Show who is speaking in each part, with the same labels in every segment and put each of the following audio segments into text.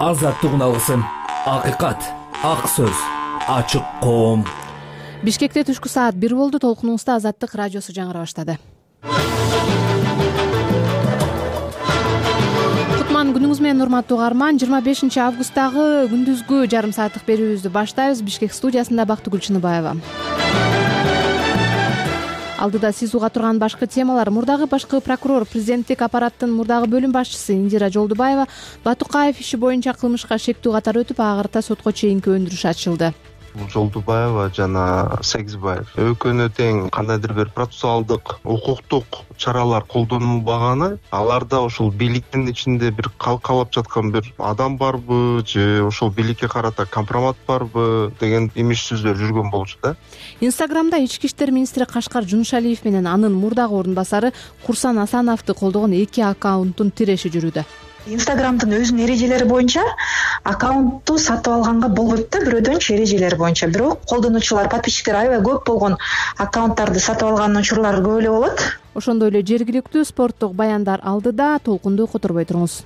Speaker 1: Азаттык алгысым, акыйкат, ак сөз, ачык коом.
Speaker 2: Бишкекте түшкү саат 1 болду. Толкунубузда Азаттык радиосу жаңыра баштады. Кутман күнүңүз менен урматтуу угарман. 25 августтагы күндүзгү жарым сааттык берүүбүздү баштайбыз. Бишкек студиясында Бактыгүл Чыныбаева. Алдыда сиз уга турган башкы темалар: мурдагы башкы прокурор, президенттик аппараттын мурдагы бөлүм башчысы Индира Жолдубаева Батукаев иши боюнча кылмышка шектүү катары өтүп, ага сотко чейинки өндүрүш ачылды.
Speaker 3: Жолдубаева жана Сегизбаев экөөнө тең кандайдыр бир процессуалдык, укуктук чаралар колдонулбаганы, аларда ошол бийликтин ичинде бир калкалап жаткан бир адам барбы же ошол бийликке карата компромат барбы деген имиш сөздөр жүргөн болчу да.
Speaker 2: Инстаграмда ички иштер министри Кашкар Жуншалиев менен анын мурдагы орун басары Курсан Асановду колдогон 2 аккаунттун тиреши жүрүүдө.
Speaker 4: Инстаграмдын өзүнүн эрежелери боюнча аккаунтту сатып алганга болбойт да, бирөөдөнчү эрежелери боюнча. Бирок колдонуучулар, подписчиктер аябай көп болгон аккаунттарды сатып алган учурлар көп эле болот.
Speaker 2: Ошондой эле жергиликтүү спорттук баяндар алдыда. Толкунду которбой туруңуз.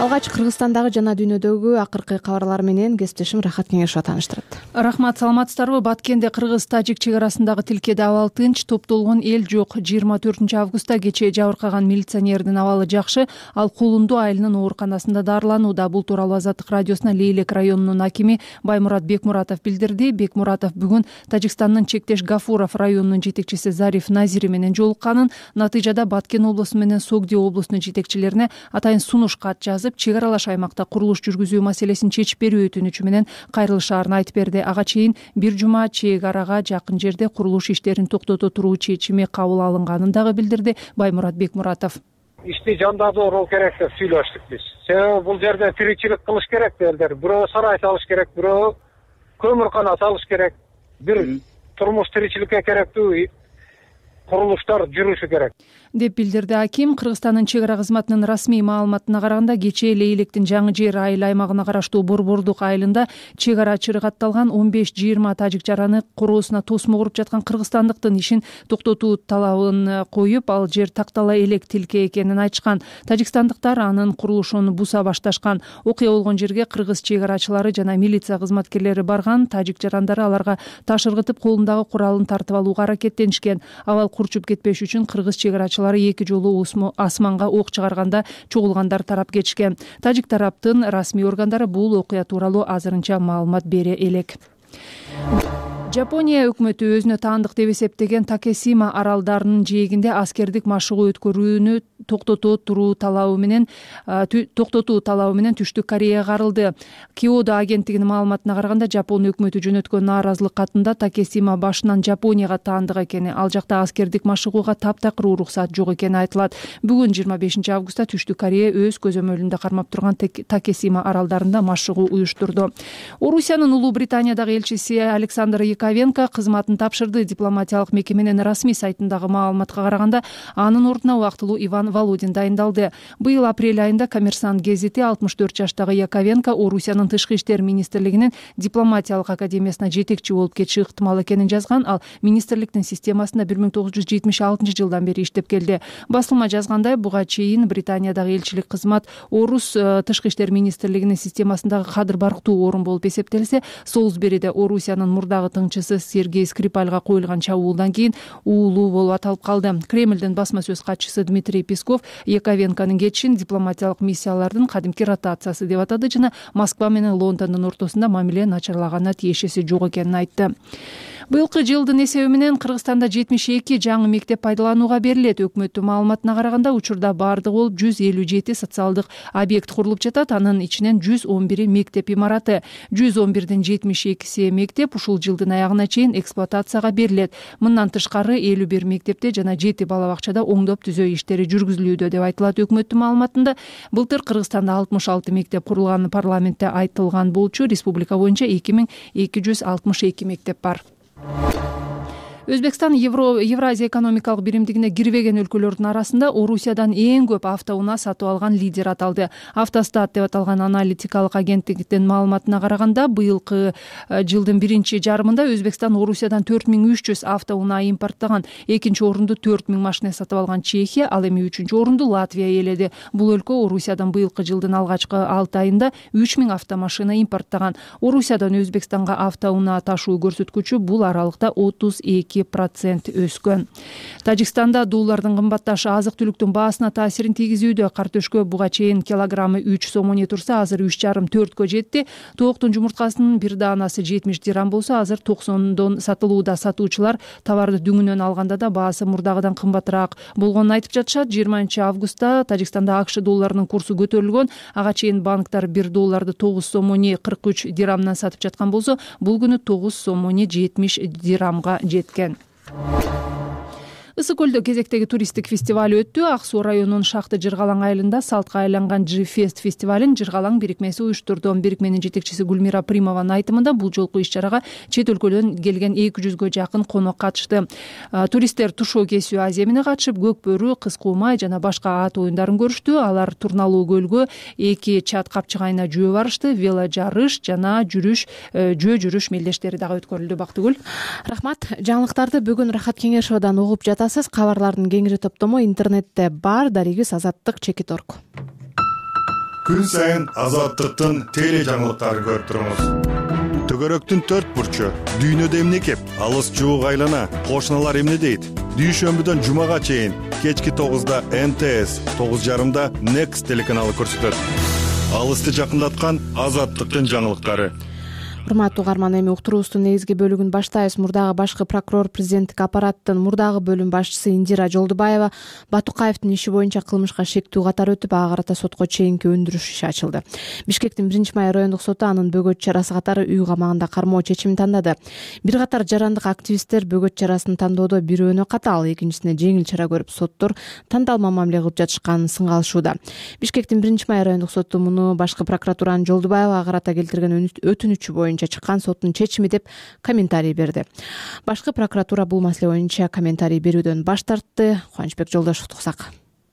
Speaker 2: Алгач Кыргызстандагы жана дүйнөдөгү акыркы кабарлар менен кесиптешим Рахат Кеңешова тааныштырат.
Speaker 5: Рахмат, саламатсыздарбы? Баткенде кыргыз-тажик чек арасындагы тилкеде абал тынч, топтолгон эл жок. 24 августта кечээ жабыркаган милиционердин абалы жакшы, ал Кулунду айылынын ооруканасында дарыланууда. Бул тууралуу Азаттык радиосуна Лейлек районунун акими Баймурат Бекмуратов билдирди. Бекмуратов бүгүн Тажикстандын Чектеш Гафуров районунун жетекчиси Зариф Назири менен жолукканын, натыйжада Баткен облусу менен Согди облусунун жетекчилерине атайын сунуш кат жазып, чек аралаш аймакта курулуш жүргүзүү маселесин чечип берүү өтүнүчү менен кайрылышаарын айтып берди. Ага чейин бир жума чек арага жакын жерде курулуш иштерин токтото туруу чечими кабыл алынганын дагы билдирди Баймурат Бекмуратов.
Speaker 6: Ишти жандандыруу керек деп сүйлөштүк биз. Себеби бул жерде тиричилик кылыш керек элдер. Бирөө сарай салыш керек, бирөө көмүркана салыш керек. Бир турмуш тиричиликке керектүү курулуштар жүрүшү керек
Speaker 5: деп билдирди аким. Кыргызстандын чек ара кызматынын расмий маалыматына караганда, кечээ Лейлектин Жаңы Жер айыл аймагына караштуу Борбордук айылында чек ара чыргатталган 15-20 тажик жараны короосуна тосмо куруп жаткан кыргызстандыктын ишин токтотуу талабын коюп, ал жер тактала элек тилке экенин айтышкан. Тажикстандыктар анын курулушун буса башташкан. Окуя болгон жерге кыргыз чек арачылары жана милиция кызматкерлери барган. Тажик жарандары аларга таш ыргытып, колундагы куралын тартып алууга аракеттенишкен. Абал курчуп кетпеш үчүн кыргыз чек арачылары 2 жолу асманга ок чыгарганда чогулгандар тарап кетишкен. Тажик тараптын расмий органдары бул окуя тууралуу азырынча маалымат бере элек. Жапония өкмөтү өзүнө таандык деп эсептеген Такесима аралдарынын жээгинде аскердик машыгуу өткөрүүнү токтотуу талабы менен Түштүк Кореяга карылды. Киодо агенттигинин маалыматына караганда, Жапон өкмөтү жөнөткөн нааразылык катында Такесима башынан Жапонияга таандык экени, ал жакта аскердик машыгууга таптакыр уруксат жок экени айтылат. Бүгүн 25 августта Түштүк Корея өз көзөмөлүндө кармап турган Такесима аралдарында машыгуу уюштурду. Орусиянын Улуу Британиядагы элчиси Александр Яковенко кызматын тапшырды. Дипломатиялык мекеменин расмий сайтындагы маалыматка караганда, анын ордуна убактылуу Иван Володин дайындалды. Быйыл апрель айында Коммерсант гезити 64 жаштагы Яковенко Орусиянын Тышкы иштер министрлигинин дипломатиялык академиясына жетекчи болуп кетиши ыктымал экенин жазган. Ал министрликтин системасында 1976 жылдан бери иштеп келди. Басылма жазгандай, буга чейин Британиядагы элчилик кызмат Орус Тышкы иштер министрлигинин системасындагы кадыр барктуу орун болуп эсептелсе, Солсбериде Орусиянын мурдагы тыңчысы Сергей Скрипальга коюлган чабуулдан кийин уулуу болуп аталып калды. Кремлдин басма сөз катчысы Дмитрий Песков Яковенконун кетишин дипломатиялык миссиялардын кадимки ротациясы деп атады жана Москва менен Лондондун ортосунда мамиле начарлаганына тиешеси жок экенин айтты. Быйылкы жылдын эсеби менен Кыргызстанда 72 жаңы мектеп пайдаланууга берилет. Өкмөттүн маалыматына караганда, учурда бардыгы болуп 157 социалдык объект курулуп жатат. Анын ичинен 111 мектеп имараты. 111дин 72 мектеп ушул жылдын аягына чейин эксплуатацияга берилет. Мындан тышкары 51 мектепте жана 7 бала бакчада оңдоп түзөө иштери жүргүзүлүүдө деп айтылат өкмөттүн маалыматында. Былтыр Кыргызстанда 66 мектеп курулганы парламентте айтылган болчу. Республика боюнча 2262 мектеп бар. Өзбекстан Евразия экономикалык биримдигине кирбеген өлкөлөрдүн арасында Орусиядан эң көп автоунаа сатып алган лидер аталды. Автостат деп аталган аналитикалык агенттиктин маалыматына караганда, быйылкы жылдын биринчи жарымында Өзбекстан Орусиядан 4300 автоунаа импорттаган. Экинчи орунду 4000 машина сатып алган Чехия, ал эми үчүнчү орунду Латвия ээледи. Бул өлкө Орусиядан быйылкы жылдын алгачкы 6 айында 3000 автомашина импорттаган. Орусиядан Өзбекстанга автоунаа ташуу көрсөткүчү бул аралыкта 32% өскөн. Тажикстанда доллардын кымбатташы азык-түлүктүн баасына таасирин тийгизүүдө. Картөшкө буга чейин килограммы 3 сом турса, азыр 3,5-4кө жетти. Тооктун жумурткасынын бир даанасы 70 дирам болсо, азыр 90дон сатылууда. Сатуучулар товарды дүңүнөн алганда да баасы мурдагыдан кымбатыраак болгонун айтып жатышат. 20-августта Тажикстанда АКШ долларынын курсу көтөрүлгөн. Ага чейин банктар 1 долларды 9 сом 43 дирамдан сатып жаткан болсо, бул күнү 9 сом 70 дирамга жеткен. Ысык көлдө кезектеги туристтик фестиваль өттү. Ак суу районунун Шахты Жыргалаң айылында салтка айланган G-Fest фестивалин Жыргалаң бирикмеси уюштурду. Бирикменин жетекчиси Гүлмира Примованын айтымында, бул жолку иш-чарага чет өлкөдөн келген 200гө жакын конок катышты. Туристтер тушоо кесүү аземине катышып, көк бөрү, кыз куумай жана башка ат оюндарын көрүштү. Алар Турналуу көлгө 2 чат капчыгайына жөө барышты. Вело жарыш жана жөө жүрүш мелдештери дагы өткөрүлдү. Бактыгүл.
Speaker 2: Рахмат. Жаңылыктарды бүгүн Рахат Кеңешовадан угуп жатасыз. Кабарлардын кеңири топтому интернетте бар. Дарегибиз Азаттык.org.
Speaker 7: Күн сайын Азаттыктын теле жаңылыктарын көрүп туруңуз. Төгөрөктүн 4 бурчу, дүйнөдө эмне кеп, алыс жуук айлана, кошуналар эмне дейт? Дүйшөмбүдөн жумага чейин кечки 9да НТС, 9:30да Next телеканалы көрсөтөт. Алысты жакындаткан Азаттыктын жаңылыктары.
Speaker 2: Урматтуу угарман, эми уктуруубуздун негизги бөлүгүн баштайбыз. Мурдагы башкы прокурор президенттик аппараттын мурдагы бөлүм башчысы Индира Жолдубаева Батукаевдин иши боюнча кылмышка шектүү катары өтүп, ага карата сотко чейинки өндүрүш иши ачылды. Бишкектин 1-май райондук соту анын бөгөт чарасы катары үй камагында кармоо чечимин тандады. Бир катар жарандык активисттер бөгөт чарасын тандоодо бирөөнө катаал, экинчисине жеңил чара көрүп, соттор тандалма мамиле кылып жатышканын сыңгалышууда. Бишкектин 1-май райондук соту муну башкы прокуратуранын Жолдубаевага карата келтирген өтүнүчү боюнча чыккан соттун чечими деп комментарий берди. Башкы прокуратура бул маселе боюнча комментарий берүүдөн баш тартты. Кубанычбек Жолдошевду уктсак.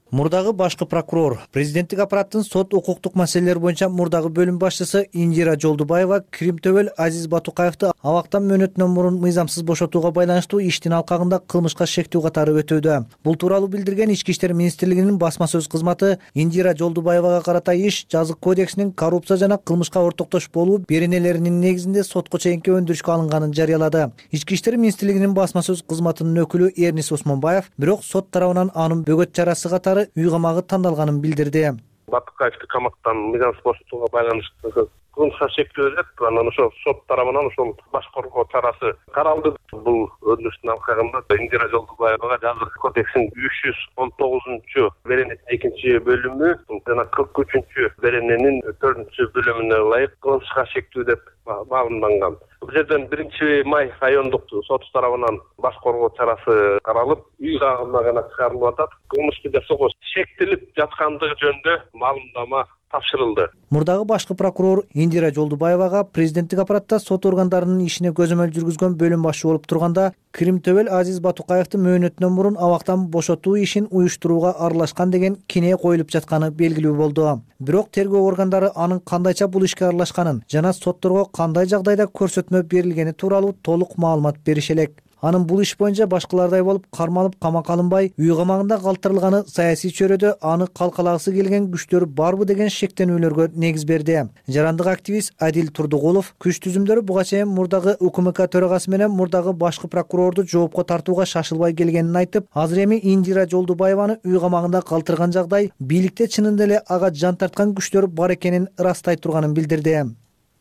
Speaker 8: Мурдагы башкы прокурор, президенттик аппараттын сот укуктук маселелер боюнча мурдагы бөлүм башчысы Индира Жолдубаева Кримтөбөл Азиз Батукаевди абактан мөөнөтүнөн мурун мыйзамсыз бошотууга байланыштуу иштин алкагында кылмышка шектүү катары өтүүдө. Бул тууралуу билдирген Ички иштер министрлигинин басма сөз кызматы Индира Жолдубаевага карата иш жазык кодексинин коррупция жана кылмышка ортоктош болуу беренелеринин негизинде сотко чейинки өндүрүшкө алынганын жарыялады. Ички иштер министрлигинин басма сөз кызматынын өкүлү Эрнис Осмонбаев бирок сот тарабынан анын бөгөт чарасы катары үй камагы тандалганын билдирди.
Speaker 9: Батукаевди камактан мыйзамсыз бошотууга байланыштуу кылмышка шектүү деп, анан ошол сот тарабынан ошол баш коргоо чарасы каралды. Бул өндүрүштүн алкагында Индира Жолдубаевага жазык кодексинин 319 беренесинин 2-бөлүмү жана 43 берененин 4-бөлүмүнө ылайык кылмышка шектүү деп баамданган. Бул жерден 1-май райондук сот тарабынан баш коргоо чарасы каралып, үй камагына гана чыгарылып атат. Кылмышты жасоого шектелип жаткандыгы жөнүндө маалымдама тапшырылды.
Speaker 8: Мурдагы башкы прокурор Индира Жолдубаевага президенттик аппаратта сот органдарынын ишине көзөмөл жүргүзгөн бөлүм башчы болуп турганда Кримтөбөл Азиз Батукаевди мөөнөтүнөн мурун абактан бошотуу ишин уюштурууга аралашкан деген кине коюлуп жатканы белгилүү болду. Бирок тергөө органдары анын кандайча бул ишке аралашканын жана сотторго кандай жагдайда көрсөтмө берилгени тууралуу толук маалымат берише элек. Анын бул иш боюнча башкалардай болуп кармалып камакка алынбай, үй камагында калтырылганы саясий чөйрөдө аны калкалагысы келген күчтөр барбы деген шектенүүлөргө негиз берди. Жарандык активист Адил Турдугулов күч түзүмдөрү буга чейин мурдагы УКМК төрагасы менен мурдагы башкы прокурорду жоопко тартууга шашылбай келгенин айтып, азыр эми Индира Жолдубаеваны үй камагында калтырган жагдай бийликте чынында эле ага жан тарткан күчтөр бар экенин ырастай турганын билдирди.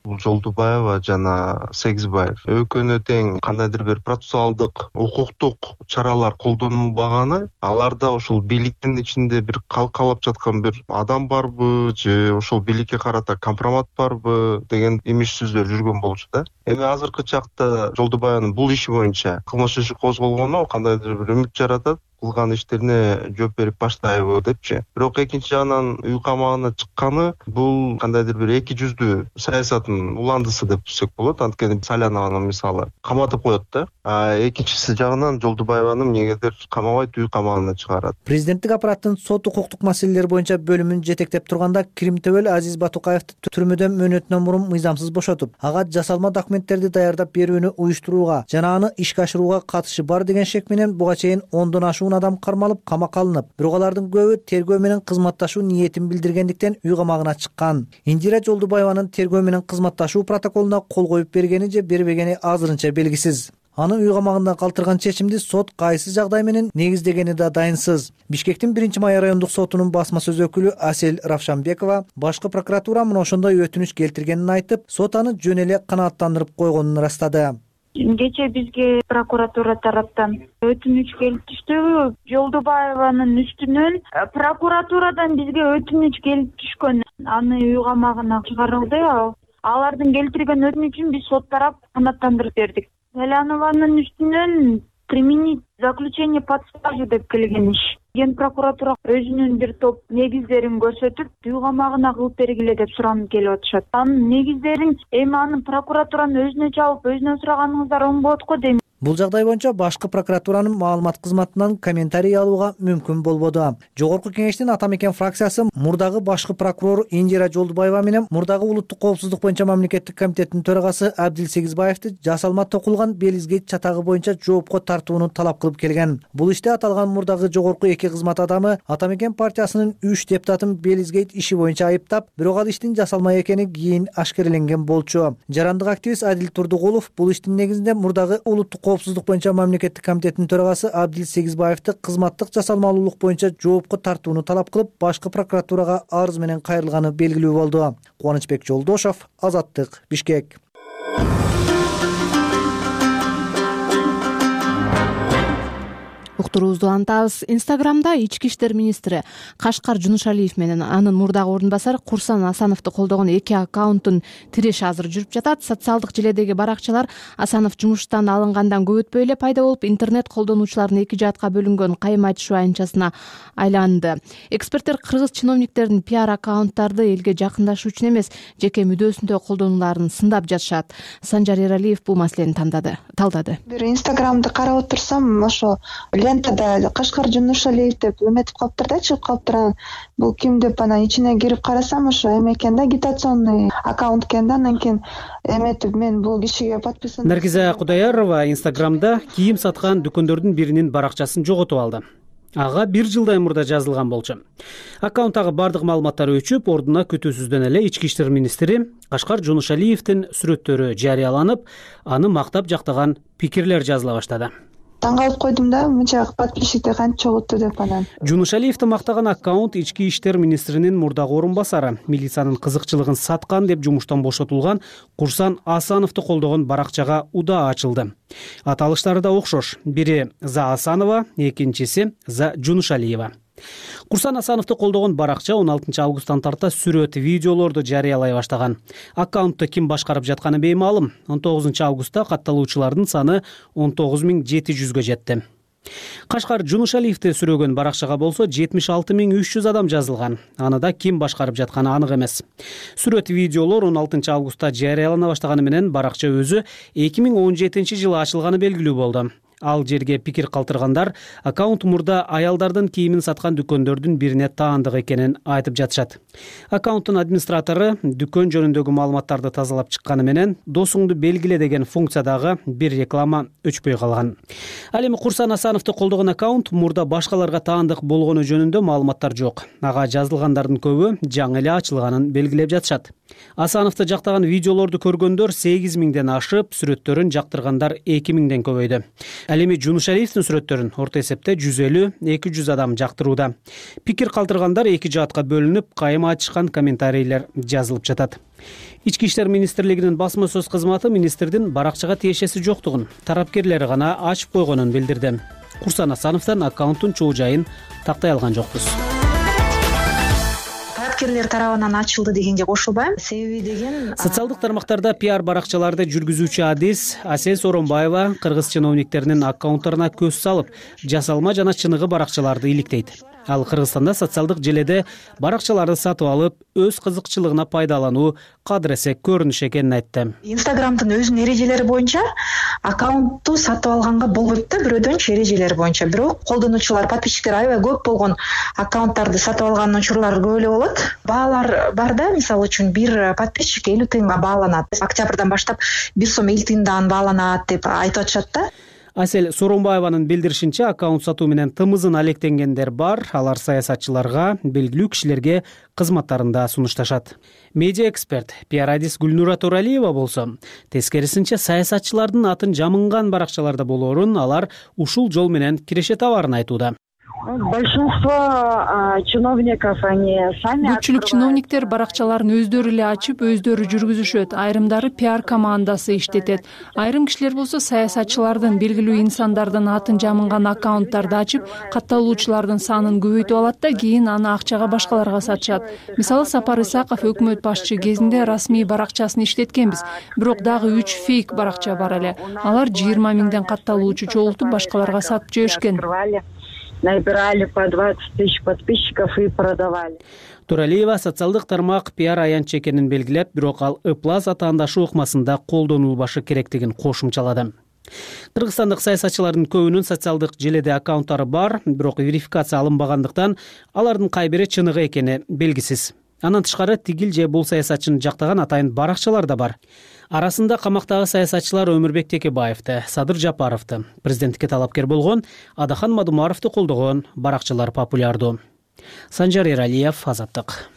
Speaker 3: Жолдубаева жана Сегизбаев өкөнө тең кандайдыр бир процессуалдык укуктук чаралар колдонулбаганы, аларда ошол бийликтин ичинде бир калкалап жаткан бир адам барбы же ошол бийликке карата компромат барбы деген имиш сөздөр жүргөн болчу да. Эми азыркы чакта Жолдубаеванын бул иши боюнча кылмыш иши козголгону кандайдыр бир үмүт жаратат. кылган иштерине жооп берип баштайбы депчи. Бирок экинчи жагынан үй камагына чыкканы бул кандайдыр бир эки жүздүү саясаттын уландысы деп түшсөк болот. Анткени Салянованы мисалы каматып коет да. Экинчиси жагынан Жолдубаеваны эмнегедир камабайт, үй камагына чыгарат.
Speaker 8: Президенттик аппараттын сот укуктук маселелер боюнча бөлүмүн жетектеп турганда Кирим Төбөл Азиз Батукаевди түрмөдөн мөөнөтүнөн мурун мыйзамсыз бошотуп, ага жасалма документтерди даярдап берүүнү уюштурууга жана аны ишке ашырууга катышы бар деген шек менен буга чейин 10дон ашуун адам кармалып, камакка алынып, бирок алардын көбү тергөө менен кызматташуу ниетин билдиргендиктен үй камагына чыккан. Индира Жолдубаеванын тергөө менен кызматташуу протоколуна кол коюп бергени же бербегени азырынча белгисиз. Аны үй камагында калтырган чечимди сот кайсы жагдай менен негиздегени да дайынсыз. Бишкектин 1-май райондук сотунун басма сөз өкүлү Асель Равшанбекова башкы прокуратура мына ошондой өтүнүч келтиргенин айтып, сот аны жөн эле канааттандырып койгонун ырастады.
Speaker 10: Кечээ бизге прокуратура тараптан өтүнүч келип түштү. Жолдубаеванын үстүнөн прокуратурадан бизге өтүнүч келип түшкөн. Аны үй камагына чыгарылды. Алардын келтирген өтүнүчүн биз сот тарап канааттандырып бердик. Салянованын үстүнөн применить заключение под стражу деп келген иш. Ген прокуратура өзүнүн бир топ негиздерин көрсөтүп, үй камагына кылып бергиле деп суранып келип атышат. Анын негиздерин эми анын прокуратуранын өзүнө чалып, өзүнөн сураганыңыздар оң болот го дейм.
Speaker 8: Бул жагдай боюнча башкы прокуратуранын маалымат кызматынан комментарий алууга мүмкүн болбоду. Жогорку кеңештин Ата Мекен фракциясы мурдагы башкы прокурор Индира Жолдубаева менен мурдагы улуттук коопсуздук боюнча мамлекеттик комитеттин төрагасы Абдил Сегизбаевди жасалма токулган Белизгейт чатагы боюнча жоопко тартууну талап кылып келген. Бул иште аталган мурдагы жогорку эки кызмат адамы Ата Мекен партиясынын 3 депутатын Белизгейт иши боюнча айыптап, бирок ал иштин жасалма экени кийин ашкереленген болчу. Жарандык активист Адил Турдугулов бул иштин негизинде мурдагы улуттук коопсуздук боюнча мамлекеттик комитеттин төрагасы Абдил Сегизбаевди кызматтык жасалмалуулук боюнча жоопко тартууну талап кылып, башкы прокуратурага арыз менен кайрылганы белгилүү болду. Кубанычбек Жолдошов, Азаттык, Бишкек.
Speaker 2: Уктуруубузду улантабыз. Инстаграмда ички иштер министри Кашкар Жунушалиев менен анын мурдагы ордун басары Курсан Асановду колдогон эки аккаунттун тиреши азыр жүрүп жатат. Социалдык желедеги баракчалар Асанов жумуштан алынгандан көп өтпөй эле пайда болуп, интернет колдонуучулардын эки жаатка бөлүнгөн кайым айтышуу аянтчасына айланды. Эксперттер кыргыз чиновниктердин пиар аккаунттарды элге жакындашуу үчүн эмес, жеке мүдөөсүндө колдонууларын сындап жатышат. Санжар Эралиев бул маселени талдады.
Speaker 4: Бир Инстаграмды карап отурсам, ошо лентада Кашкар Жунушалиев деп эметип калыптыр да, чыгып калыптыр. Бул ким деп анан ичине кирип карасам, ошо эме экен да, агитационный аккаунт экен да. Анан кийин эметип мен бул кишиге подписан.
Speaker 11: Наргиза Кудайярова Инстаграмда кийим саткан дүкөндөрдүн биринин баракчасын жоготуп алды. Ага 1 жылдай мурда жазылган болчу. Аккаунттагы бардык маалыматтар өчүп, ордуна күтүүсүздөн эле ички иштер министри Кашкар Жунушалиевдин сүрөттөрү жарыяланып, аны мактап жактаган пикирлер жазыла баштады.
Speaker 4: Таң калып койдум да, мынча подписчиктер канча чогулду деп анан.
Speaker 11: Жунушалиевди мактаган аккаунт ички иштер министринин мурдагы орун басары, милициянын кызыкчылыгын саткан деп жумуштан бошотулган Курсан Асановду колдогон баракчага удаа ачылды. Аталыштары да окшош. Бири за Асанова, экинчиси за Жунушалиева. Курсан Асановду колдогон баракча 16 августтан тарта сүрөт, видеолорду жарыялай баштаган. Аккаунтты ким башкарып жатканы беймаалым. 19 августта катталуучулардын саны 19700гө жетти. Кашкар Жунушалиевди сүрөгөн баракчага болсо 76300 адам жазылган. Аны да ким башкарып жатканы анык эмес. Сүрөт, видеолор 16 августта жарыялана баштаганы менен баракча өзү 2017-жылы ачылганы белгилүү болду. Ал жерге пикир калтыргандар аккаунт мурда аялдардын кийимин саткан дүкөндөрдүн бирине таандык экенин айтып жатышат. Аккаунттун администратору дүкөн жөнүндөгү маалыматтарды тазалап чыкканы менен досуңду белгиле деген функциядагы бир реклама өчпөй калган. Ал эми Курсан Асановду колдогон аккаунт мурда башкаларга таандык болгону жөнүндө маалыматтар жок. Ага жазылгандардын көбү жаңы эле ачылганын белгилеп жатышат. Асановду жактаган видеолорду көргөндөр 8000ден ашып, сүрөттөрүн жактыргандар 2000ден көбөйдү. Ал эми Жунушалиевдин сүрөттөрүн орто эсепте 150-200 адам жактырууда. Пикир калтыргандар эки жаатка бөлүнүп, кайым айтышкан комментарийлер жазылып жатат. Ички иштер министрлигинин басма сөз кызматы министрдин баракчага тиешеси жоктугун, тарапкерлери гана ачып койгонун билдирди. Курсан Асановдон аккаунттун чоо жайын тактай алган жокпуз.
Speaker 4: кайраткерлер тарабынан ачылды дегенге кошулбайм. Себеби деген
Speaker 11: социалдык тармактарда пиар баракчаларды жүргүзүүчү Адис Асель Сооронбаева кыргыз чиновниктеринин аккаунттарына көз салып, жасалма жана чыныгы баракчаларды иликтейт. Ал Кыргызстанда социалдык желеде баракчаларды сатып алып, өз кызыкчылыгына пайдалануу кадыресек көрүнүш экенин айтты.
Speaker 4: Инстаграмдын өзүнүн эрежелери боюнча аккаунтту сатып алганга болбойт да, бирөөдөн эрежелери боюнча. Бирок колдонуучулар, подписчиктер аябай көп болгон аккаунттарды сатып алган учурлар көп эле болот. Баалар бар да, мисалы үчүн бир подписчик 50 тыйынга бааланат. Октябрдан баштап 1 сом 50 тыйындан бааланат деп айтып атышат да.
Speaker 11: Асель Сооронбаеванын билдиришинче, аккаунт сатуу менен тымызын алектенгендер бар. Алар саясатчыларга, белгилүү кишилерге кызматтарында сунушташат. Медиа эксперт пиар Адис Гүлнура Туралиева болсо, тескерисинче саясатчылардын атын жамынган баракчаларда болоорун алар ушул жол менен киреше табарын айтууда.
Speaker 10: Большинство чиновников, они сами.
Speaker 5: Көпчүлүк чиновниктер баракчаларын өздөрү эле ачып, өздөрү жүргүзүшөт. Айрымдары пиар командасы иштетет. Айрым кишилер болсо саясатчылардын, белгилүү инсандардын атын жамынган аккаунттарды ачып, катталуучулардын санын көбөйтүп алат да кийин аны акчага башкаларга сатышат. Мисалы, Сапар Исаков өкмөт башчы кезинде расмий баракчасын иштеткенбиз. Бирок дагы 3 фейк баракча бар эле. Алар 20 миңден катталуучу чогултуп башкаларга сатып жиберишкен.
Speaker 10: Набирали по 20 тысяч подписчиков и продавали.
Speaker 11: Туралиева социалдык тармак пиар аянч экенин белгилеп, бирок ал ыплас атаандашы ыкмасында колдонулбашы керектигин кошумчалады. Кыргызстандык саясатчылардын көбүнүн социалдык желеде аккаунттары бар, бирок верификация алынбагандыктан алардын кай бири чыныгы экени белгисиз. Андан тышкары тигил же бул саясатчыны жактаган атайын баракчалар да бар. Арасында камактагы саясатчылар Өмүрбек Текебаевди, Садыр Жапаровду, президенттикке талапкер болгон Адахан Мадумаровду колдогон баракчалар популярдуу. Санжар Эралиев, Азаттык.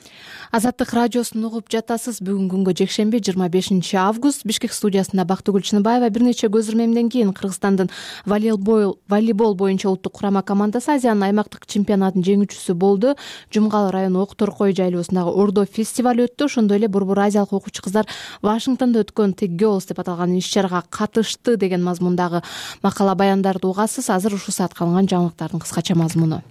Speaker 2: Азаттык радиосун угуп жатасыз. Бүгүнкү күнгө жекшемби 25 август Бишкек студиясында Бактыгүл Чыныбаева. Бир нече көз ирмемден кийин Кыргызстандын волейбол боюнча улуттук курама командасы Азиянын аймактык чемпионатынын жеңүүчүсү болду. Жумгал району Ок Торкой жайлоосундагы Ордо фестиваль өттү. Ошондой эле Борбор Азиялык окуучу кыздар Вашингтондо өткөн Tech Girls деп аталган иш-чарага катышты деген мазмундагы макала баяндарды угасыз. Азыр ушул саатка алынган жаңылыктардын кыскача мазмуну.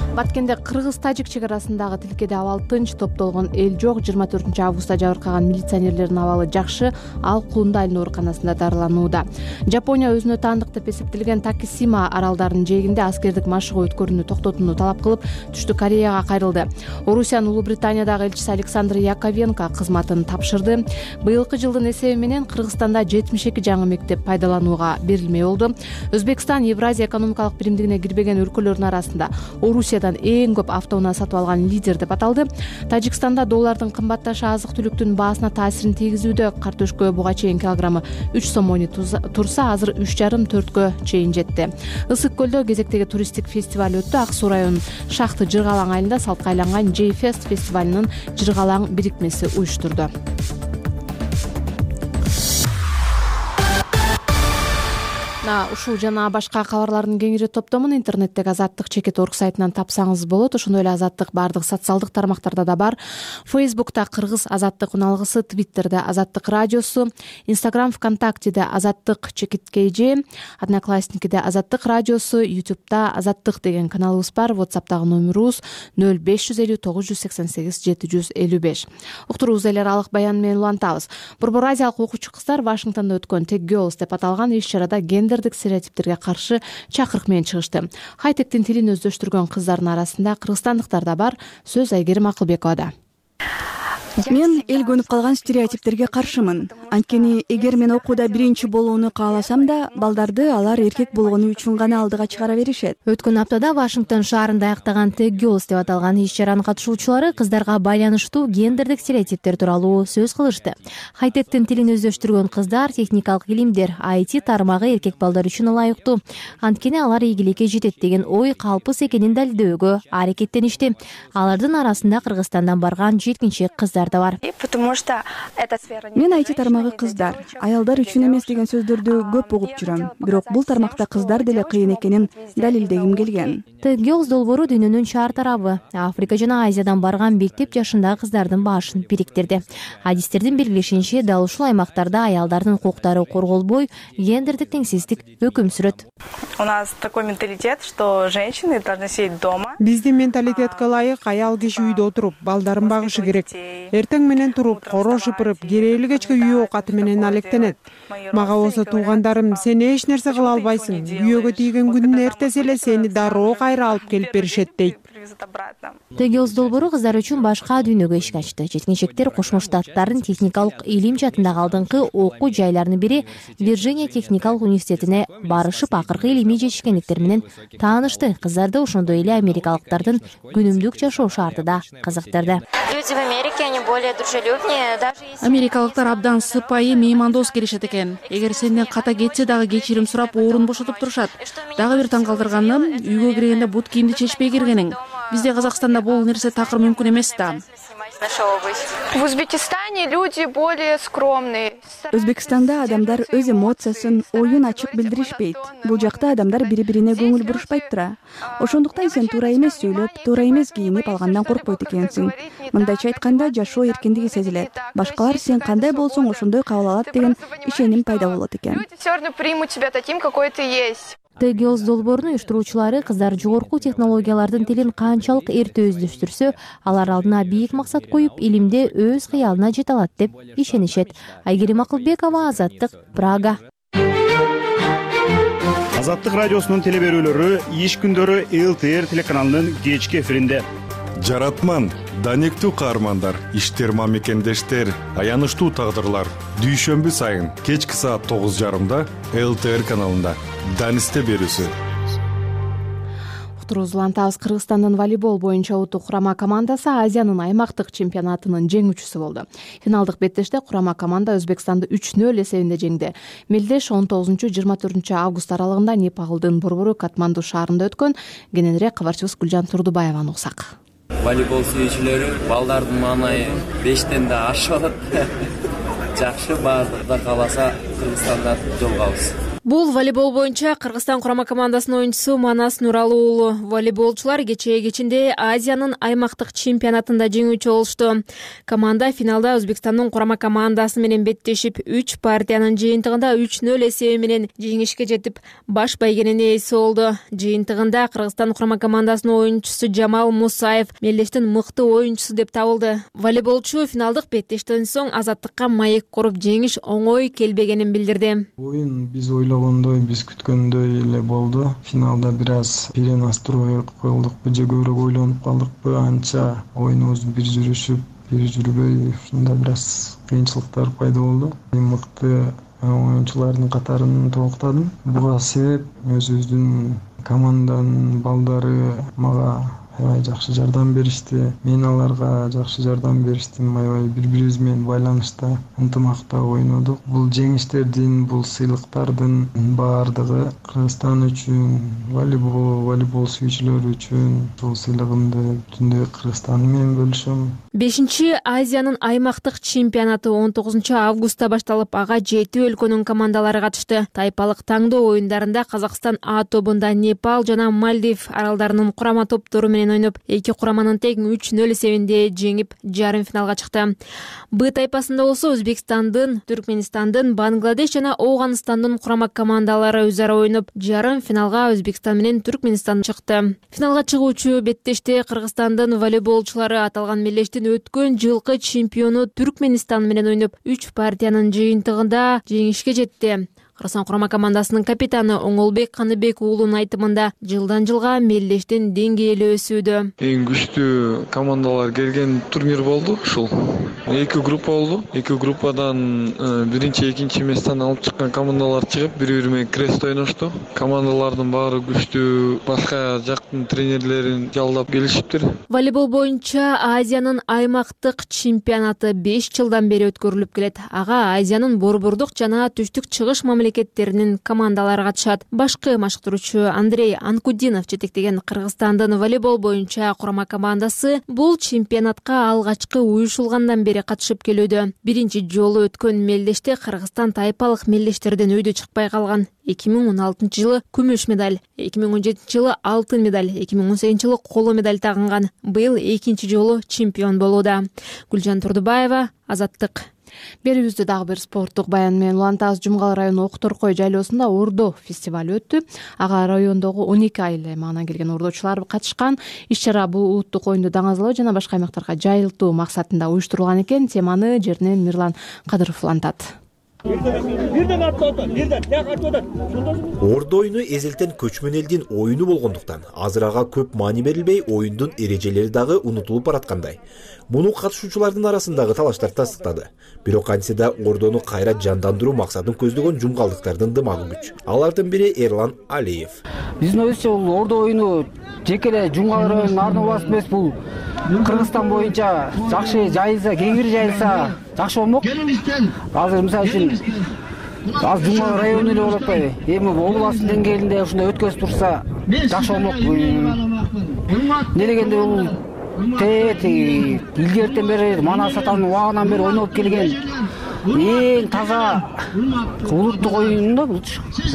Speaker 2: Баткенде кыргыз-тажик чек арасындагы тилкеде абал тынч, топтолгон эл жок. 24 августта жабыркаган милиционерлердин абалы жакшы, ал Кулундай ооруканасында дарыланууда. Жапония өзүнө таандык деп эсептелген Такисима аралдарынын жээгинде аскердик машыгуу өткөрүүнү токтотууну талап кылып, Түштүк Кореяга кайрылды. Орусиянын Улуу Британиядагы элчиси Александр Яковенко кызматын тапшырды. Быйылкы жылдын эсеби менен Кыргызстанда 72 жаңы мектеп пайдаланууга берилмей болду. Өзбекстан Евразия экономикалык биримдигине кирбеген өлкөлөрдүн арасында Орусиядан эң көп автоунаа сатып алган лидер деп аталды. Тажикстанда доллардын кымбатташы азык-түлүктүн баасына таасирин тийгизүүдө. Картөшкө буга чейин килограммы 3 сом турса, азыр 3,5-4кө чейин жетти. Ысык көлдө кезектеги туристтик фестиваль өттү. Ак суу районунун Шахты Жыргалаң айылында салтка айланган J-Fest фестивалынын Жыргалаң бирикмеси уюштурду. Ушул жана башка кабарлардын кеңири топтомун интернеттеги azattik.org сайтынан тапсаңыз болот. Ошондой эле Азаттык бардык социалдык тармактарда да бар. Фейсбукта Кыргыз Азаттык уналгысы, Твиттерде Азаттык радиосу, Инстаграм, ВКонтактеде Азаттык _KG, Одноклассникиде Азаттык радиосу, Ютубта Азаттык деген каналыбыз бар. WhatsApp'тагы номерубуз 0550 988 755. Уктуруубуз эле аралык баян менен улантабыз. Борбор Азиялык окуучу кыздар Вашингтондо өткөн Tech Girls деп аталган иш-чарада гендердик стереотиптерге каршы чакырык менен чыгышты. Хайтектин тилин өздөштүргөн кыздардын арасында кыргызстандыктар да бар. Сөз Айгерим Акылбековада.
Speaker 12: Мен эл көнүп калган стереотиптерге каршымын. Анткени эгер мен окууда биринчи болууну кааласам да, балдарды алар эркек болгону үчүн гана алдыга чыгара беришет.
Speaker 13: Өткөн аптада Вашингтон шаарында аяктаган Tech Girls деп аталган иш-чаранын катышуучулары кыздарга байланыштуу гендердик стереотиптер тууралуу сөз кылышты. Хайтектин тилин өздөштүргөн кыздар техникалык илимдер, IT тармагы эркек балдар үчүн ылайыктуу. Анткени алар ийгиликке жетет деген ой калпыс экенин далилдөөгө аракеттеништи. Алардын арасында Кыргызстандан барган жеткинчек кыздар аялдар да бар.
Speaker 12: Мен IT тармагы кыздар, аялдар үчүн эмес деген сөздөрдү көп угуп жүрөм. Бирок бул тармакта кыздар деле кыйын экенин далилдегим келген.
Speaker 13: Girls долбоору дүйнөнүн шаар тарабы Африка жана Азиядан барган мектеп жашындагы кыздардын башын бириктирди. Адистердин белгилешинче, дал ушул аймактарда аялдардын укуктары корголбой, гендердик теңсиздик өкүм сүрөт.
Speaker 14: У нас такой менталитет, что женщины должны сидеть дома.
Speaker 15: Биздин менталитетке ылайык аял киши үйдө отуруп, балдарын багышы керек. Эртең менен туруп, коро шыпырып, керээли кечке үй оокаты менен алектенет. Мага болсо туугандарым, сен эч нерсе кыла албайсың. Күйөөгө тийген күндүн эртеси эле сени дароо кайра алып келип беришет дейт.
Speaker 13: Girls долбоору кыздар үчүн башка дүйнөгө эшик ачты. Жеткинчектер Кошмо Штаттардын техникалык илим жаатындагы алдыңкы окуу жайларынын бири Вирджиния техникалык университетине барышып, акыркы илимий жетишкендиктер менен таанышты. Кыздарды ошондой эле америкалыктардын күнүмдүк жашоо шарты да кызыктырды.
Speaker 16: Люди в Америке, они более дружелюбнее, даже если...
Speaker 17: Америкалыктар абдан сыпайы, меймандос келишет экен. Эгер сенден ката кетсе дагы кечирим сурап, орун бошотуп турушат. Дагы бир таң калтырганы, үйгө киргенде бут кийимди чечпей киргениң. Бизде Казакстанда бул нерсе такыр мүмкүн эмес да.
Speaker 16: В Узбекистане люди более скромные.
Speaker 12: Өзбекстанда адамдар өз эмоциясын, оюн ачык билдиришпейт. Бул жакта адамдар бири-бирине көңүл бурушпайт тура. Ошондуктан сен туура эмес сүйлөп, туура эмес кийинип алгандан коркпойт экенсиң. Мындайча айтканда, жашоо эркиндиги сезилет. Башкалар сен кандай болсоң ошондой кабыл алат деген ишеним пайда болот экен.
Speaker 16: Люди всё равно примут тебя таким, какой ты есть.
Speaker 13: Girls долбоорунун уюштуруучулары кыздар жогорку технологиялардын тилин канчалык эрте өздөштүрсө, алар алдына бийик максат коюп, илимде өз кыялына жете алат деп ишенишет. Айгерим Акылбекова, Азаттык, Прага.
Speaker 18: Азаттык радиосунун телеберүүлөрү иш күндөрү ЛТР телеканалынын кечки эфиринде.
Speaker 7: Жаратман, данектүү каармандар, иштер мамекендештер, аянычтуу тагдырлар. Дүйшөмбү сайын кечки саат 9:30 ЛТР каналында. Данисте берүүсү.
Speaker 2: Уктурубузду улантабыз. Кыргызстандын волейбол боюнча улуттук курама командасы Азиянын аймактык чемпионатынын жеңүүчүсү болду. Финалдык беттеште курама команда Өзбекстанды 3-0 эсебинде жеңди. Мелдеш 19-24 август аралыгында Непалдын борбору Катманду шаарында өткөн. Кененирээк кабарчыбыз Гүлжан Турдубаеваны уксак.
Speaker 19: Волейбол сүйүүчүлөрү балдардын маанайы 5тен да ашып атат. Жакшы, баардыгы кааласа Кыргызстанда жолугабыз.
Speaker 5: Бул волейбол боюнча Кыргызстан курама командасынын оюнчусу Манас Нуралы уулу. Волейболчулар кечээ Азиянын аймактык чемпионатында жеңүүчү болушту. Команда финалда Өзбекстандын курама командасы менен беттешип, 3 партиянын жыйынтыгында 3-0 эсеби менен жеңишке жетип, баш байгенин ээси болду. Жыйынтыгында Кыргызстан курама командасынын оюнчусу Жамал Мусаев мелдештин мыкты оюнчусу деп табылды. Волейболчу финалдык беттештен соң Азаттыкка маек коруп жеңиш оңой келбегенин билдирди.
Speaker 20: Биз ойлогондой, биз күткөндөй эле болду. Финалда бир аз перенастрой коюлдукпу же көбүрөөк ойлонуп калдыкпы, анча оюнубуз бир жүрбөй, ушунда бир аз кыйынчылыктар пайда болду. Мыкты оюнчулардын катарын толуктадым. Буга себеп өзүбүздүн команданын балдары мага аябай жакшы жардам беришти. Мен аларга жакшы жардам бериштим. Аябай бири-бирибиз менен байланышта, ынтымакта ойнодук. Бул жеңиштердин, бул сыйлыктардын баардыгы Кыргызстан үчүн, волейбол сүйүүчүлөр үчүн бул сыйлыгымды бүтүндөй Кыргызстан менен бөлүшөм.
Speaker 5: 5-Азиянын аймактык чемпионаты 19 августта башталып, ага 7 өлкөнүн командалары катышты. Тайпалык таңдоо оюндарында Казакстан А тобунда Непал жана Мальдив аралдарынын курама топтору менен ойноп, эки кураманын тең 3-0 эсебинде жеңип, жарым финалга чыкты. Б тайпасында болсо Өзбекстандын, Түркменистандын, Бангладеш жана Ооганстандын курама командалары өзара ойноп, жарым финалга Өзбекстан менен Түркменистан чыкты. Финалга чыгуучу беттеште Кыргызстандын волейболчулары аталган мелдештин өткөн жылкы чемпиону Түркменистан менен ойноп, 3 партиянын жыйынтыгында жеңишке жетти. Кыргызстан курама командасынын капитаны Оңолбек Каныбек уулунун айтымында жылдан жылга мелдештин деңгээли өсүүдө.
Speaker 20: Эң күчтүү командалар келген турнир болду ушул. 2 группа болду. 2 группадан биринчи, экинчи месттен алып чыккан командалар чыгып, бири-бири менен крест ойношту. Командалардын баары күчтүү, башка жактын тренерлерин жалдап келишиптир.
Speaker 5: Волейбол боюнча Азиянын аймактык чемпионаты 5 жылдан бери өткөрүлүп келет. Ага Азиянын борбордук жана түштүк чыгыш мамлекеттеринин командалары катышат. Башкы машыктыруучу Андрей Анкудинов жетектеген Кыргызстандын волейбол боюнча курама командасы бул чемпионатка алгачкы уюшулгандан
Speaker 13: бери катышып келүүдө. Биринчи жолу өткөн мелдеште Кыргызстан тайпалык мелдештерден өйдө чыкпай калган. 2016 жылы күмүш медаль, 2017 жылы алтын медаль, 2018 жылы коло медаль тагынган. Быйыл экинчи жолу чемпион болууда. Гүлжан Турдубаева, Азаттык.
Speaker 2: Берүүбүздө дагы бир спорттук баян менен улантабыз. Жумгал району Окторкой жайлоосунда Ордо фестиваль өттү. Ага райондогу 12 айыл аймагынан келген ордочулар катышкан. Иш-чара бул улуттук оюнду даңазалоо жана башка аймактарга жайылтуу максатында уюштурулган экен. Теманы жеринен Мирлан Кадыров улантат.
Speaker 21: Ордо оюну эзелтен көчмөн элдин оюну болгондуктан азыр ага көп маани берилбей, оюндун эрежелери дагы унутулуп бараткандай. Муну катышуучулардын арасындагы талаштар тастыктады. Бирок антсе да Ордону кайра жандандыруу максатын көздөгөн жумгалдыктардын дымагы күч. Алардын бири Эрлан Алиев.
Speaker 22: Биздин ойубузча бул Ордо оюну жеке эле Жумгал районунун ардын убасы эмес, бул Кыргызстан боюнча жакшы жайылса, кеңири жайылса жакшы болмок. Азыр мисалы үчүн азыр Жумгал району эле болуп атпайбы? Эми областын деңгээлинде ушундай өткөзүп турса жакшы болмок. Не дегенде бул илгертен бери Манас атанын убагынан бери ойноп келген эң таза улуттук оюн да бул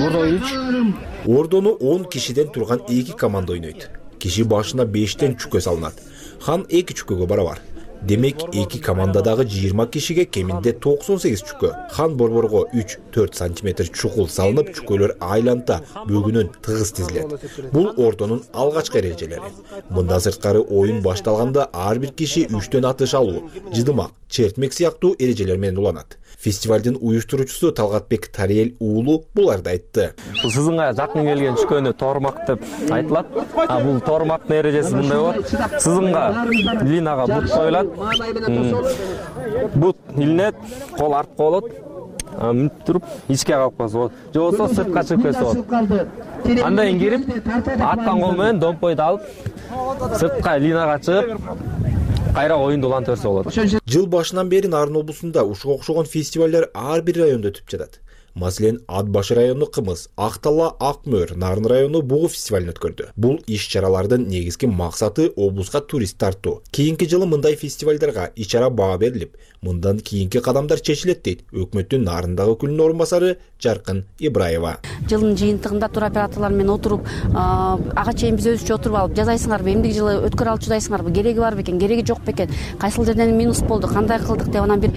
Speaker 22: Ордо оюну.
Speaker 21: Ордону 10 кишиден турган 2 команда ойнойт. Киши башына 5тен чүкө салынат. Хан 2 чүкөгө барабар. Демек 2 командадагы 20 кишиге кеминде 98 чүкө. Хан борборго 3-4 см чукул салынып, чүкөлөр айланта бөгүнөн тыгыз тизилет. Бул Ордонун алгачкы эрежелери. Мындан сырткары оюн башталганда ар бир киши 3төн атыш алуу, жыдымак, чертмек сыяктуу эрежелер менен уланат. Фестивалдын уюштуруучусу Талгатбек Тариел уулу буларды айтты.
Speaker 23: Бул сызынга жакын келген чүкөнү тормак деп айтылат. Бул тормактын эрежеси мындай болот. Сызынга линага бут коюлат. Бут илинет, кол артка болот. Мүнүп туруп ичке калып калса болот. Же болбосо сыртка чыгып кетсе болот. Андан кийин кирип, аткан кол менен домпойду алып, сыртка линага чыгып, кайра оюнду улантып берсе болот.
Speaker 21: Жыл башынан бери Нарын облусунда ушуга окшогон фестивалдар ар бир райондо өтүп жатат. Маселен, Ат башы району Кымыз, Актала, Акмөр, Нарын району Бугу фестивалын өткөрдү. Бул иш-чаралардын негизги максаты облуска турист тартуу. Кийинки жылы мындай фестивалдарга ич-чара баа берилип, мындан кийинки кадамдар чечилет дейт өкмөттүн Нарындагы өкүлүнүн орун басары Жаркын Ибраева.
Speaker 24: Жылдын жыйынтыгында тур операторлор менен отуруп, ага чейин биз өзүбүзчө отуруп алып жазайсыңарбы, эмдиги жылы өткөрө алчудайсыңарбы, кереги бар бекен, кереги жок бекен, кайсыл жерден минус болду, кандай кылдык деп анан бир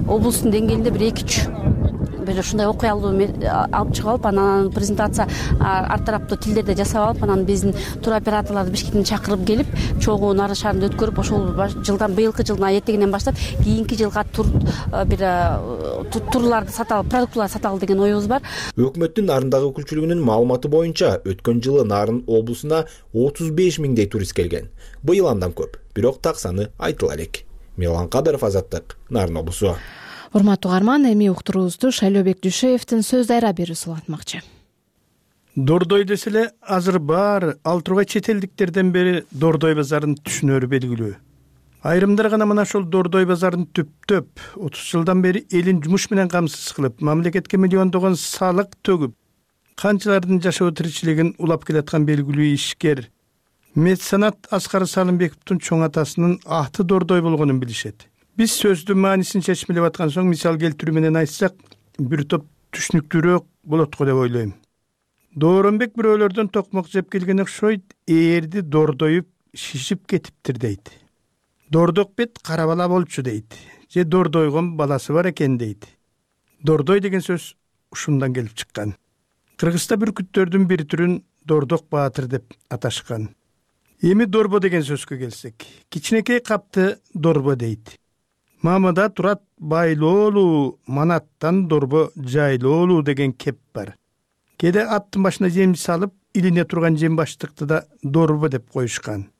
Speaker 24: облустун деңгээлинде бир 2-3 бир ушундай окуялуу алып чыгып алып, анан презентация ар тараптуу тилдерде жасап алып, анан биздин тур операторлорду Бишкектен чакырып келип, чогуу Нарын шаарында өткөрүп, ошол жылдан быйылкы жылдын этегинен баштап кийинки жылга турларды сата алып, продуктыларды сата алып деген оюбуз бар.
Speaker 21: Өкмөттүн Нарындагы өкүлчүлүгүнүн маалыматы боюнча, өткөн жылы Нарын облусуна 35 миңдей турист келген. Быйыл андан көп, бирок так саны айтыла элек. Мирлан Кадыров, Азаттык, Нарын облусу.
Speaker 2: Урматтуу угарман, эми уктуруубузду Шайлообек Дүйшеевдин сөз дайра берүүсү улантмакчы.
Speaker 25: Дордой деселе азыр баары ал тургай чет элдиктерден бери Дордой базарын түшүнөрү белгилүү. Айрымдар гана мына ошол Дордой базарын түптөп 30 жылдан бери элин жумуш менен камсыз кылып, мамлекетке миллиондогон салык төгүп, канчалардын жашоо тиричилигин улап келаткан белгилүү ишкер меценат Аскар Салымбековдун чоң атасынын аты Дордой болгонун билишет. Биз сөздүн маанисин чечмелеп аткан соң мисал келтирүү менен айтсак, бир топ түшүнүктүүрөөк болот го деп ойлойм. Дооронбек бирөөлөрдөн токмок жеп келген окшойт, ээрди дордоюп шишип кетиптир дейт. Дордок бет кара бала болчу дейт. Же дордойгон баласы бар экен дейт. Дордой деген сөз ушундан келип чыккан. Кыргызста бүркүттөрдүн бир түрүн Дордок баатыр деп аташкан. Эми дорбо деген сөзгө келсек, кичинекей капты дорбо дейт. Мамада турат байлоолуу, манаттан дорбо жайлоолуу деген кеп бар. Кээде аттын башына жем салып, илине турган жем баштыкты да дорбо деп коюшкан.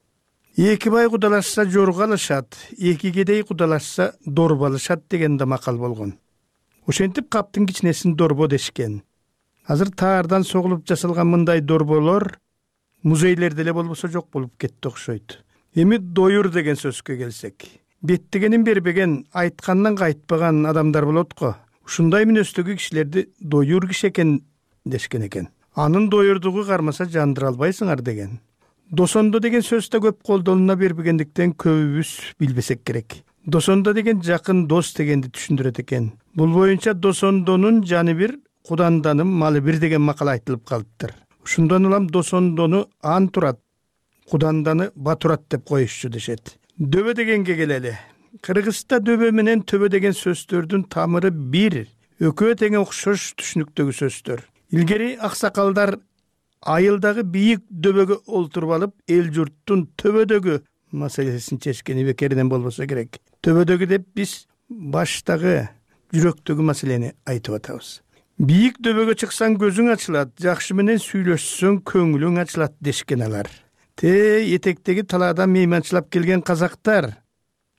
Speaker 25: Эки бай кудалашса жорго алышат, эки кедей кудалашса дорбо алышат деген да макал болгон. Ошентип каптын кичинесин дорбо дешкен. Азыр таардан согулуп жасалган мындай дорболор музейлерде эле болбосо жок болуп кетти окшойт. Эми доюр деген сөзгө келсек, беттигенин бербеген, айткандан кайтпаган адамдар болот го. Ушундай мүнөздөгү кишилерди доюр киши экен дешкен экен. Анын доюрдугу кармаса жандыра албайсыңар деген. Досондо деген сөз да көп колдолуна бербегендиктен көбүбүз билбесек керек. досондо деген жакын дос дегенди түшүндүрөт экен. Бул боюнча досондонун жаны бир, куданданын малы бир деген макал айтылып калыптыр. Ушундан улам досондону ан турат, куданданы батурат деп коюшчу дешет. Дөбө дегенге келели. Кыргызда дөбө менен төбө деген сөздөрдүн тамыры бир, экөө тең окшош түшүнүктөгү сөздөр. Илгери аксакалдар айылдагы бийик дөбөгө олтуруп алып, эл журттун төбөдөгү маселесин чечкени бекеринен болбосо керек. Төбөдөгү деп биз баштагы, жүрөктөгү маселени айтып атабыз. Бийик дөбөгө чыксаң көзүң ачылат, жакшы менен сүйлөшсөң көңүлүң ачылат дешкен алар. Этектеги талаадан мейманчылап келген казактар,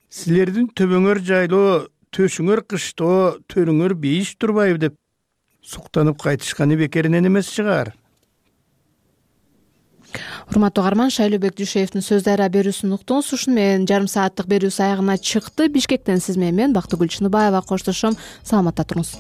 Speaker 25: силердин төбөңөр жайлоо, төшүңөр кыштоо, төрүңөр бейиш турбайбы деп суктанып кайтышканы бекеринен эмес чыгар.
Speaker 2: Урматтуу угарман, Шайлообек Дүйшеевдин Сөз Дайра берүүсүн уктуңуз. Ушуну менен жарым сааттык берүүсү аягына чыкты. Бишкектен сиз менен мен Бактыгүл Чыныбаева коштошом. Саламатта туруңуз.